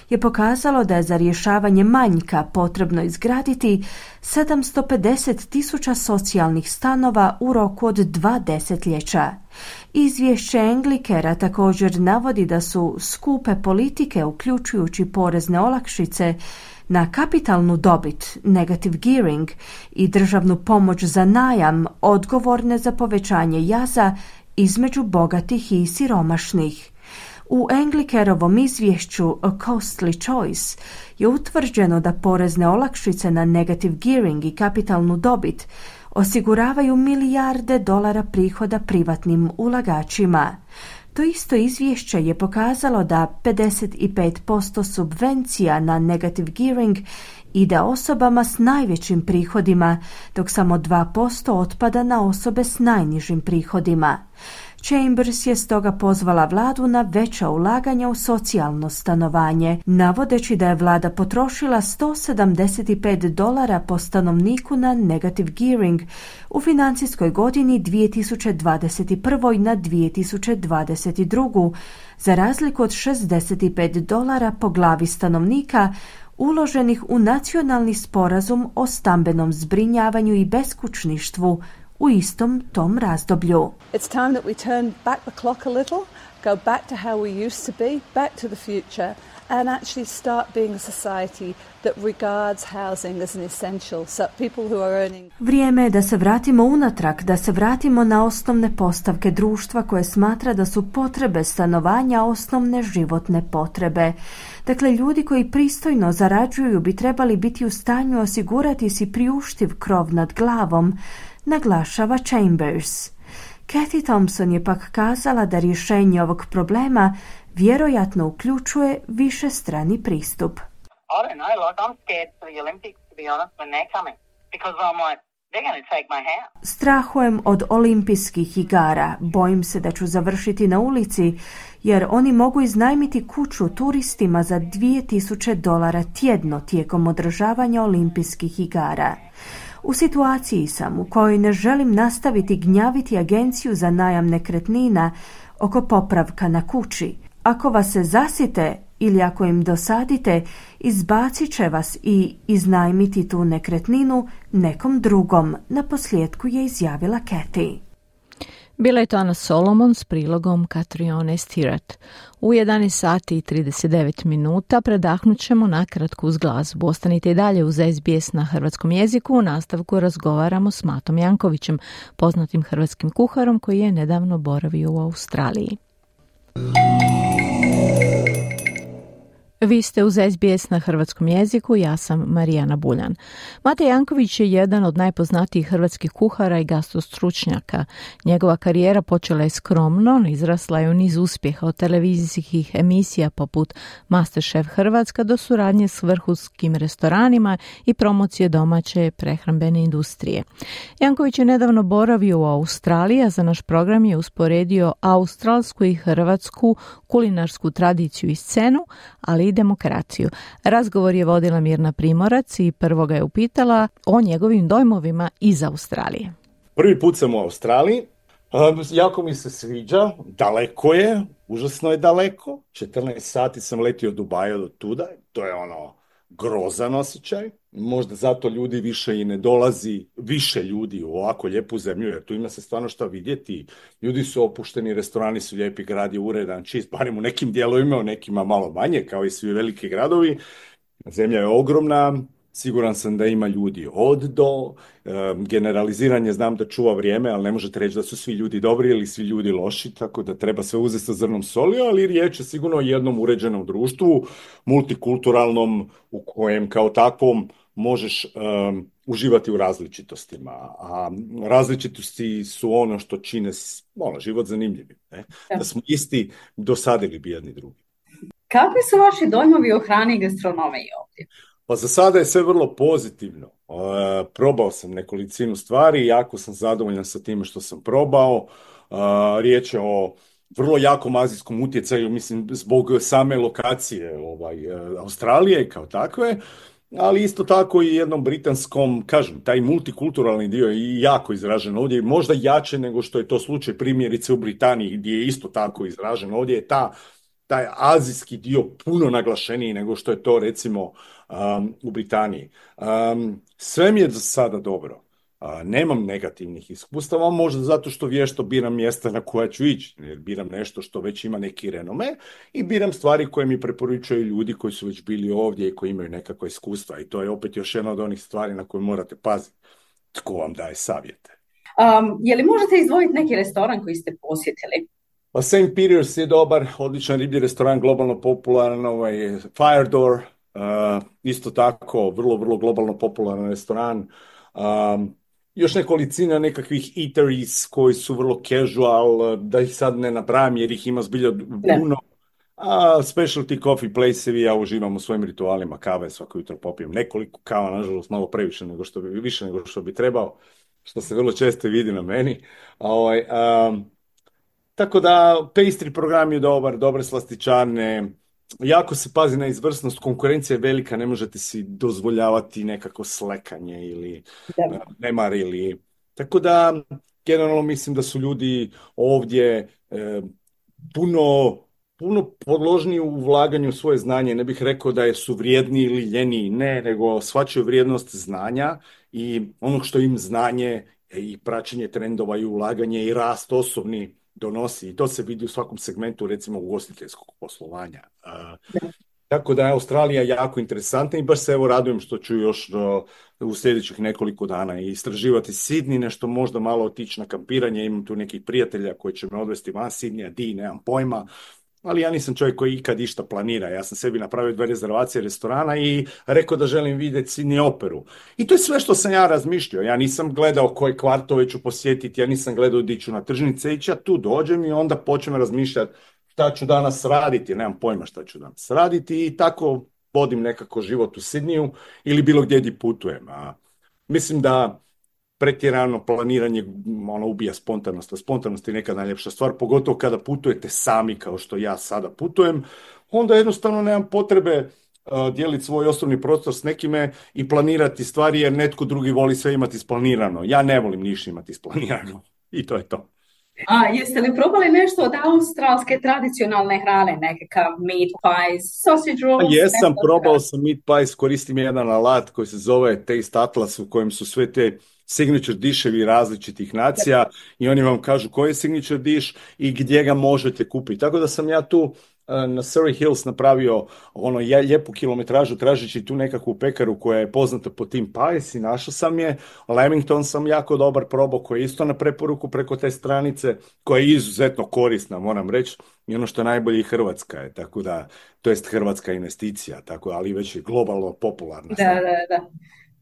je pokazalo da je za rješavanje manjka potrebno izgraditi 750,000 socijalnih stanova u roku od 2 desetljeća. Izvješće Anglicarea također navodi da su skupe politike, uključujući porezne olakšice na kapitalnu dobit, negative gearing i državnu pomoć za najam, odgovorne za povećanje jaza između bogatih i siromašnih. U Englikerovom izvješću A Costly Choice je utvrđeno da porezne olakšice na negative gearing i kapitalnu dobit osiguravaju milijarde dolara prihoda privatnim ulagačima. To isto izvješće je pokazalo da 55% subvencija na negative gearing ide osobama s najvećim prihodima, dok samo 2% otpada na osobe s najnižim prihodima. Chambers je stoga pozvala vladu na veća ulaganja u socijalno stanovanje, navodeći da je vlada potrošila $175 po stanovniku na negative gearing u financijskoj godini 2021. na 2022. za razliku od $65 po glavi stanovnika uloženih u nacionalni sporazum o stambenom zbrinjavanju i beskućništvu u istom tom razdoblju.
It's time that we turn back the clock a little, go back to how we used to be, back to the future, and actually start being a society that regards housing as an essential, so people who are earning...
Vrijeme je da se vratimo unatrag, da se vratimo na osnovne postavke društva koje smatra da su potrebe stanovanja osnovne životne potrebe. Dakle, ljudi koji pristojno zarađuju bi trebali biti u stanju osigurati si priuštiv krov nad glavom, naglašava Chambers. Kathy Thompson je pak kazala da rješenje ovog problema vjerojatno uključuje višestrani pristup.
I don't know, like I'm scared for the Olympics, to be honest, when they're coming. Because I'm like, they're going to take my house.
Strahujem od olimpijskih igara. Bojim se da ću završiti na ulici, jer oni mogu iznajmiti kuću turistima za $2,000 tjedno tijekom održavanja olimpijskih igara. U situaciji sam u kojoj ne želim nastaviti gnjaviti agenciju za najam nekretnina oko popravka na kući. Ako vas se zasite ili ako im dosadite, izbacit će vas i iznajmiti tu nekretninu nekom drugom, naposljetku je izjavila Kathy.
Bila je to Ana Solomon s prilogom Katrione Stirat. U 11 sati i 39 minuta predahnut ćemo nakratko uz glazbu. Ostanite i dalje uz SBS na hrvatskom jeziku. U nastavku razgovaramo s Matom Jankovićem, poznatim hrvatskim kuharom koji je nedavno boravio u Australiji. Vi ste uz SBS na hrvatskom jeziku, ja sam Marijana Buljan. Mate Janković je jedan od najpoznatijih hrvatskih kuhara i gastrostručnjaka. Njegova karijera počela je skromno, izrasla je u niz uspjeha od televizijskih emisija poput Masterchef Hrvatska do suradnje s vrhunskim restoranima i promocije domaće prehrambene industrije. Janković je nedavno boravio u Australiji, a za naš program je usporedio australsku i hrvatsku kulinarsku tradiciju i scenu, ali i demokraciju. Razgovor je vodila Mirna Primorac i prvo ga je upitala o njegovim dojmovima iz Australije.
Prvi put sam u Australiji, jako mi se sviđa, daleko je, užasno je daleko, 14 sati sam letio od Dubaja do tuda, to je grozan osjećaj, možda zato ljudi više i ne dolazi, više ljudi u ovako lijepu zemlju, jer tu ima se stvarno šta vidjeti, ljudi su opušteni, restorani su lijepi, grad je uredan, čist, barem u nekim dijelovima, u nekima malo manje, kao i svi veliki gradovi, zemlja je ogromna, siguran sam da ima ljudi od do, generaliziranje znam da čuva vrijeme, ali ne možete reći da su svi ljudi dobri ili svi ljudi loši, tako da treba sve uzeti sa zrnom soli, ali riječ je sigurno o jednom uređenom društvu, multikulturalnom, u kojem kao takvom možeš uživati u različitostima, a različitosti su ono što čine život zanimljivim. Da smo isti, dosadili bi jedni drugi.
Kakvi su vaši dojmovi o hrani i gastronomiji ovdje?
Pa za sada je sve vrlo pozitivno. Probao sam nekolicinu stvari, jako sam zadovoljan sa time što sam probao. Riječ je o vrlo jakom azijskom utjecaju, mislim, zbog same lokacije Australije kao takve, ali isto tako i jednom britanskom, kažem, taj multikulturalni dio je jako izražen ovdje, možda jače nego što je to slučaj primjerice u Britaniji, gdje je isto tako izražen. Ovdje je taj azijski dio puno naglašeniji nego što je to recimo u Britaniji. Sve mi je za sada dobro. Nemam negativnih iskustava, možda zato što vješto biram mjesta na koja ću ići, jer biram nešto što već ima neki renome i biram stvari koje mi preporučuju ljudi koji su već bili ovdje i koji imaju nekakva iskustva. I to je opet još jedna od onih stvari na koje morate paziti. Tko vam daje savjete?
Je li možete izdvojiti neki restoran koji ste posjetili?
Pa St. Peter's je dobar, odličan riblji restoran, globalno popularan, Fire Door, isto tako, vrlo, vrlo globalno popularan restoran. Još nekolicina nekakvih eateries koji su vrlo casual, da ih sad ne napravim jer ih ima zbilja puno. A specialty coffee place-evi, ja uživam u svojim ritualima kave, svako jutro popijem nekoliko kava, nažalost malo previše više nego što bi trebao, što se vrlo često vidi na meni. Tako da, pastry program je dobar, dobre slastičarne, jako se pazi na izvrsnost, konkurencija je velika, ne možete si dozvoljavati nekako slekanje ili nemar ili... Tako da, generalno mislim da su ljudi ovdje puno podložniji u ulaganju u svoje znanje. Ne bih rekao da su vrijedni ili ljeniji, ne, nego shvaćaju vrijednost znanja i onog što im znanje i praćenje trendova i ulaganje i rast osobni donosi. I to se vidi u svakom segmentu, recimo ugostiteljskog poslovanja. Tako da je Australija jako interesantna i baš se evo radujem što ću još u sljedećih nekoliko dana istraživati Sydney, nešto možda malo otići na kampiranje. Imam tu nekih prijatelja koji će me odvesti van Sydneya, nemam pojma. Ali ja nisam čovjek koji ikad išta planira. Ja sam sebi napravio 2 rezervacije restorana i rekao da želim vidjeti Sydney operu. I to je sve što sam ja razmišljao. Ja nisam gledao koje kvartove ću posjetiti, ja nisam gledao di ću na tržnice ići, ja tu dođem i onda počnem razmišljati šta ću danas raditi. Nemam pojma šta ću danas raditi i tako vodim nekako život u Sydneyu ili bilo gdje putujem. Mislim da pretjerano planiranje ubija spontanost, a spontanost je neka najljepša stvar, pogotovo kada putujete sami kao što ja sada putujem, onda jednostavno nemam potrebe dijeliti svoj osobni prostor s nekime i planirati stvari jer netko drugi voli sve imati isplanirano. Ja ne volim ništa imati isplanirano i to je to.
Jeste li probali nešto od australske tradicionalne hrane, nekakav meat pies, sausage rolls?
Jesam, probao sam meat pies, koristim jedan alat koji se zove Taste Atlas u kojem su sve te signature dishevi različitih nacija i oni vam kažu koji je signature dish i gdje ga možete kupiti. Tako da sam ja tu na Surrey Hills napravio lijepu kilometražu tražeći tu nekakvu pekaru koja je poznata po tim pies i našao sam je. Lamington sam jako dobar probao koji je isto na preporuku preko te stranice koja je izuzetno korisna, moram reći. I ono što je najbolje i Hrvatska je, tako da, to jest hrvatska investicija, tako, ali već je globalno popularna.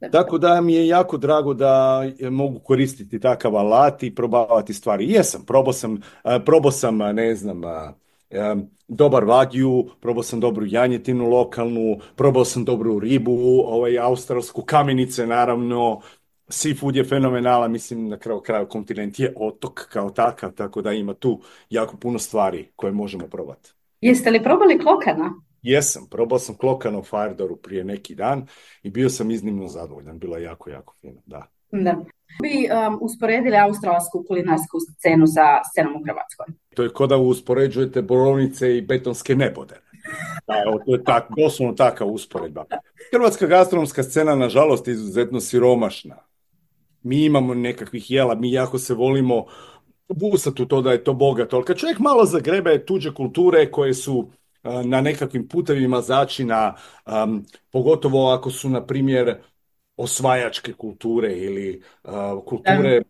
Da.
Tako da mi je jako drago da mogu koristiti takav alat i probavati stvari. Jesam, probao sam ne znam, dobar wagyu, probao sam dobru janjetinu lokalnu, probao sam dobru ribu, australsku, kamenice naravno, seafood je fenomenalan, mislim na kraju kontinent je otok kao takav, tako da ima tu jako puno stvari koje možemo probati.
Jeste li probali klokana?
Jesam, probao sam klokana u Fire Dooru prije neki dan i bio sam iznimno zadovoljan, bilo je jako, jako fino, da.
Bi usporedili australsku kulinarsku scenu sa scenom u Hrvatskoj?
To je kao da uspoređujete borovnice i betonske nebodere. To je doslovno takav usporedba. Hrvatska gastronomska scena, nažalost, je izuzetno siromašna. Mi imamo nekakvih jela, mi jako se volimo busati u to da je to bogato, ali kad čovjek malo zagrebe tuđe kulture koje su na nekakvim putevima začina, pogotovo ako su, na primjer, osvajačke kulture ili kulture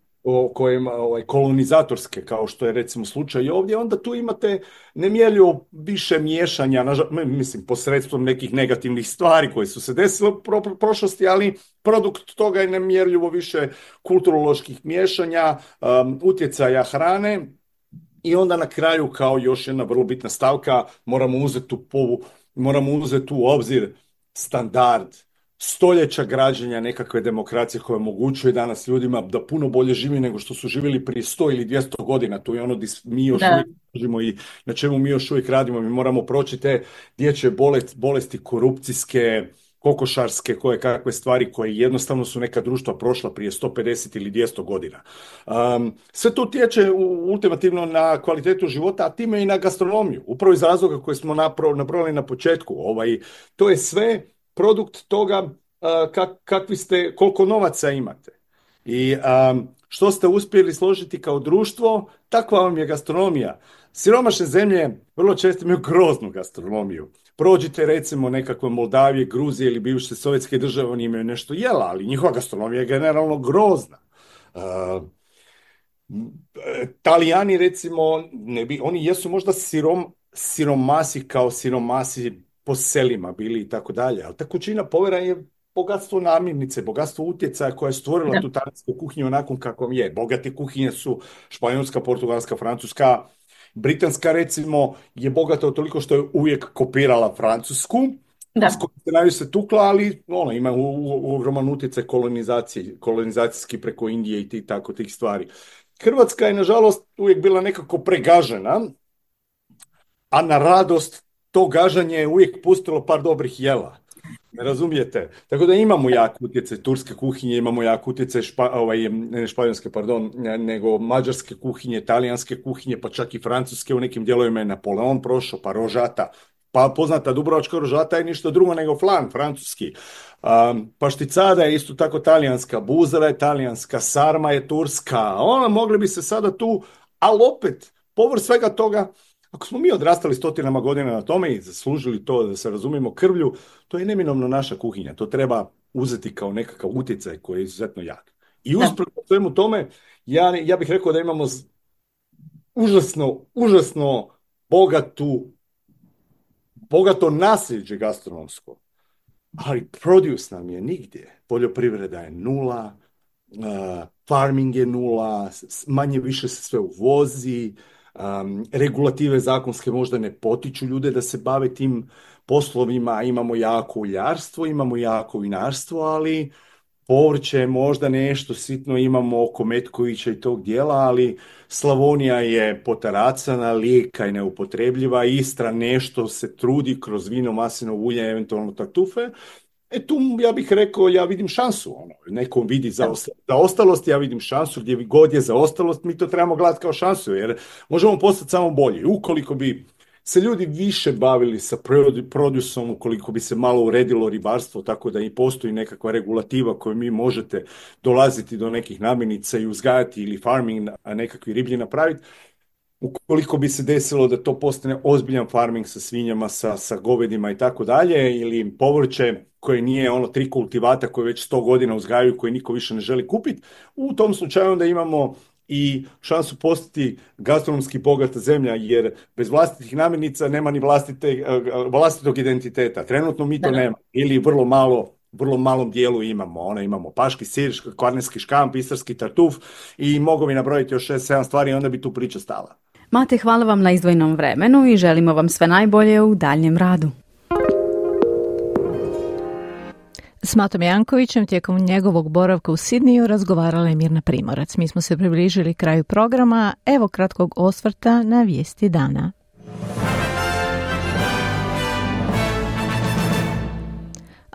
kolonizatorske, kao što je recimo slučaj ovdje, onda tu imate nemjerljivo više miješanja, mislim, posredstvom nekih negativnih stvari koje su se desile u prošlosti, ali produkt toga je nemjerljivo više kulturoloških miješanja, utjecaja hrane. I onda na kraju, kao još jedna vrlo bitna stavka, moramo uzeti u obzir standard stoljeća građenja nekakve demokracije koja omogućuje danas ljudima da puno bolje živi nego što su živjeli prije 100 ili 200 godina. To je ono gdje mi još uvijek živimo i na čemu mi još uvijek radimo. Mi moramo proći te dječje bolesti korupcijske, kokošarske, koje kakve stvari koje jednostavno su neka društva prošla prije 150 ili 200 godina. Sve to utječe ultimativno na kvalitetu života, a time i na gastronomiju. Upravo iz razloga koje smo napravili na početku. To je sve produkt toga koliko novaca imate. I što ste uspjeli složiti kao društvo, takva vam je gastronomija. Siromašne zemlje vrlo često imaju groznu gastronomiju. Prođite recimo nekakve Moldavije, Gruzije ili bivše sovjetske države, oni imaju nešto jela, ali njihova gastronomija je generalno grozna. Talijani recimo, oni jesu možda siromasi kao siromasi po selima bili i tako dalje, ali ta kućina povera je bogatstvo namirnice, bogatstvo utjecaja koja je stvorila tu talijansku kuhinju onakvom kakvom je. Bogate kuhinje su španjolska, portugalska, francuska, britanska recimo je bogata toliko što je uvijek kopirala francusku, s kojom se najviše tukla, ali ima ogroman utjecaj kolonizacijski preko Indije i tih stvari. Hrvatska je, nažalost, uvijek bila nekako pregažena, a na radost to gažanje je uvijek pustilo par dobrih jela. Ne razumijete? Tako da imamo jak utjecaj turske kuhinje, imamo jak utjecaj ne španjolske, nego mađarske kuhinje, talijanske kuhinje, pa čak i francuske, u nekim dijelovima je Napoleon prošao, pa rožata. Pa poznata dubrovačka rožata je ništa drugo nego flan, francuski. Pašticada je isto tako talijanska, buzara je talijanska, sarma je turska. Mogli bi se sada tu, ali opet, povrh svega toga, ako smo mi odrastali stotinama godina na tome i zaslužili to, da se razumijemo, krvlju, to je neminovno naša kuhinja. To treba uzeti kao nekakav utjecaj koji je izuzetno jak. I usprkos svemu tome, ja bih rekao da imamo užasno bogato nasljeđe gastronomsko. Ali produce nam je nigdje. Poljoprivreda je nula, farming je nula, manje više se sve uvozi, regulative zakonske možda ne potiču ljude da se bave tim poslovima, imamo jako uljarstvo, imamo jako vinarstvo, ali povrće možda nešto sitno imamo oko Metkovića i tog dijela, ali Slavonija je potaracana, Lijeka je neupotrebljiva, Istra nešto se trudi kroz vino, maslinovo ulje, eventualno tartufe. Tu ja bih rekao, ja vidim šansu. Neko vidi zaostalost, ja vidim šansu. Gdje god je zaostalost, mi to trebamo gledati kao šansu, jer možemo postati samo bolji. Ukoliko bi se ljudi više bavili sa produsom, ukoliko bi se malo uredilo ribarstvo, tako da i postoji nekakva regulativa koju mi možete dolaziti do nekih namirnica i uzgajati ili farming, a nekakvi riblji napraviti, ukoliko bi se desilo da to postane ozbiljan farming sa svinjama, sa govedima i tako dalje, ili povrće koje nije 3 kultivata koje već 100 godina uzgajaju, koje niko više ne želi kupiti, u tom slučaju onda imamo i šansu postati gastronomski bogata zemlja, jer bez vlastitih namirnica nema ni vlastitog identiteta. Trenutno mi to nema, ili vrlo malom dijelu imamo. Imamo paški sir, kvarnerski škamp, istarski tartuf i mogu mi nabrojiti još 6-7 stvari i onda bi tu priča stala.
Mate, hvala vam na izdvojenom vremenu i želimo vam sve najbolje u daljnjem radu.
S Matom Jankovićem tijekom njegovog boravka u Sidniju razgovarala je Mirna Primorac. Mi smo se približili kraju programa. Evo kratkog osvrta na vijesti dana.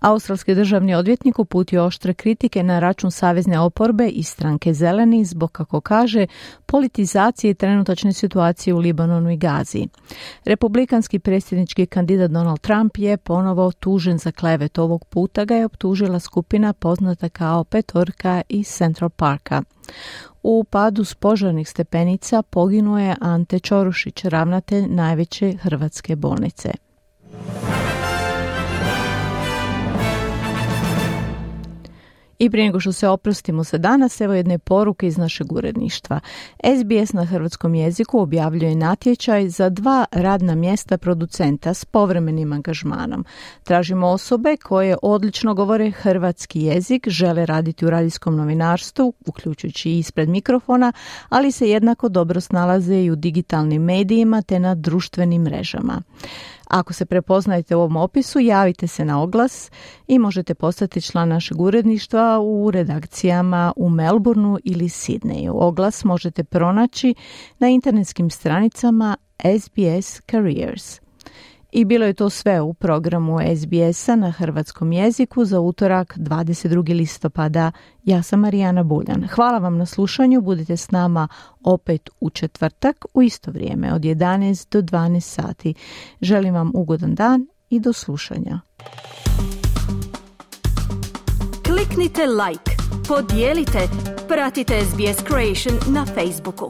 Australski državni odvjetnik uputio oštre kritike na račun savezne oporbe i stranke Zeleni zbog, kako kaže, politizacije trenutačne situacije u Libanonu i Gazi. Republikanski predsjednički kandidat Donald Trump je ponovo tužen za klevet. Ovog puta ga je optužila skupina poznata kao Petorka iz Central Parka. U padu s požarnih stepenica poginuo je Ante Čorušić, ravnatelj najveće hrvatske bolnice. I prije nego što se oprostimo za danas, evo jedne poruke iz našeg uredništva. SBS na hrvatskom jeziku objavljuje natječaj za 2 radna mjesta producenta s povremenim angažmanom. Tražimo osobe koje odlično govore hrvatski jezik, žele raditi u radijskom novinarstvu, uključujući i ispred mikrofona, ali se jednako dobro snalaze i u digitalnim medijima te na društvenim mrežama. Ako se prepoznajete u ovom opisu, javite se na oglas i možete postati član našeg uredništva u redakcijama u Melbourneu ili Sidneju. Oglas možete pronaći na internetskim stranicama SBS Careers. I bilo je to sve u programu SBS-a na hrvatskom jeziku za utorak 22. listopada. Ja sam Marijana Buljan. Hvala vam na slušanju. Budite s nama opet u četvrtak u isto vrijeme od 11 do 12 sati. Želim vam ugodan dan i do slušanja.
Kliknite like, podijelite, pratite SBS Creation na Facebooku.